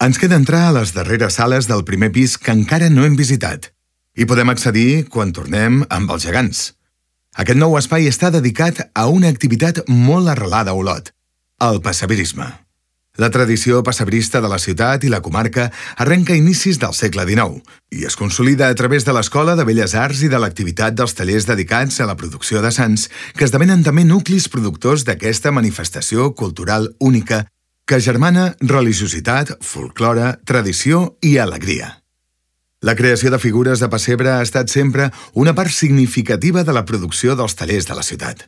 Ens queda entrar a les darreres sales del primer pis que encara no hem visitat. Hi podem accedir quan tornem amb els gegants. Aquest nou espai està dedicat a una activitat molt arrelada a Olot, el pessebriisme. La tradició pessebrista de la ciutat i la comarca arrenca a inicis del segle XIX i es consolida a través de l'Escola de Belles Arts i de l'activitat dels tallers dedicats a la producció de sants, que esdevenen també nuclis productors d'aquesta manifestació cultural única que agermana religiositat, folklore, tradició i alegria. La creació de figures de pessebre ha estat sempre una part significativa de la producció dels tallers de la ciutat.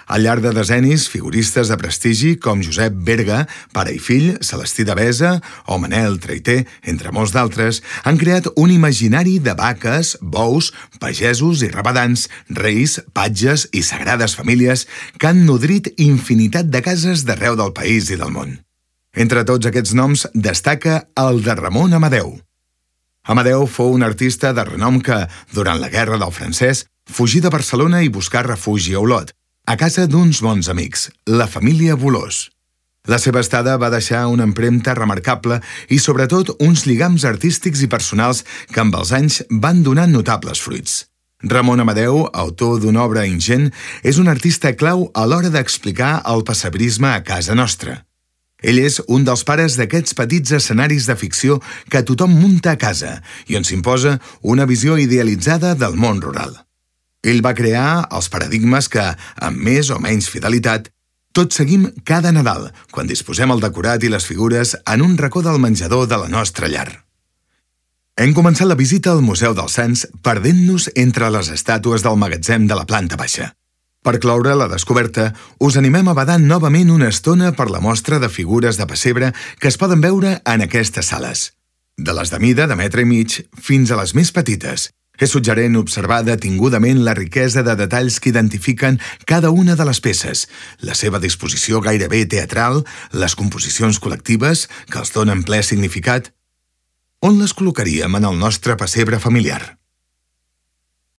Al llarg de decennis, figuristes de prestigi com Josep Berga, pare i fill, Celestí Devesa o Manel Traiter, entre molts d'altres, han creat un imaginari de vaques, bous, pagesos i rabadans, reis, patges i sagrades famílies que han nodrit infinitat de cases d'arreu del país i del món. Entre tots aquests noms destaca el de Ramon Amadeu. Amadeu fou un artista de renom que, durant la Guerra del Francès, fugí de Barcelona i buscà refugi a Olot, a casa d'uns bons amics, la família Bolòs. La seva estada va deixar una empremta remarcable i, sobretot, uns lligams artístics i personals que amb els anys van donar notables fruits. Ramon Amadeu, autor d'una obra ingent, és un artista clau a l'hora d'explicar el pessebrisme a casa nostra. Ell és un dels pares d'aquests petits escenaris de ficció que tothom munta a casa i on s'imposa una visió idealitzada del món rural. Ell va crear els paradigmes que, amb més o menys fidelitat, tots seguim cada Nadal, quan disposem el decorat i les figures en un racó del menjador de la nostra llar. Hem començat la visita al Museu dels Sants perdent-nos entre les estàtues del magatzem de la planta baixa. Per cloure la descoberta, us animem a badar novament una estona per la mostra de figures de pessebre que es poden veure en aquestes sales. De les de mida de metre i mig fins a les més petites. És suggerent observar detingudament la riquesa de detalls que identifiquen cada una de les peces, la seva disposició gairebé teatral, les composicions col·lectives que els donen ple significat. On les col·locaríem en el nostre pessebre familiar?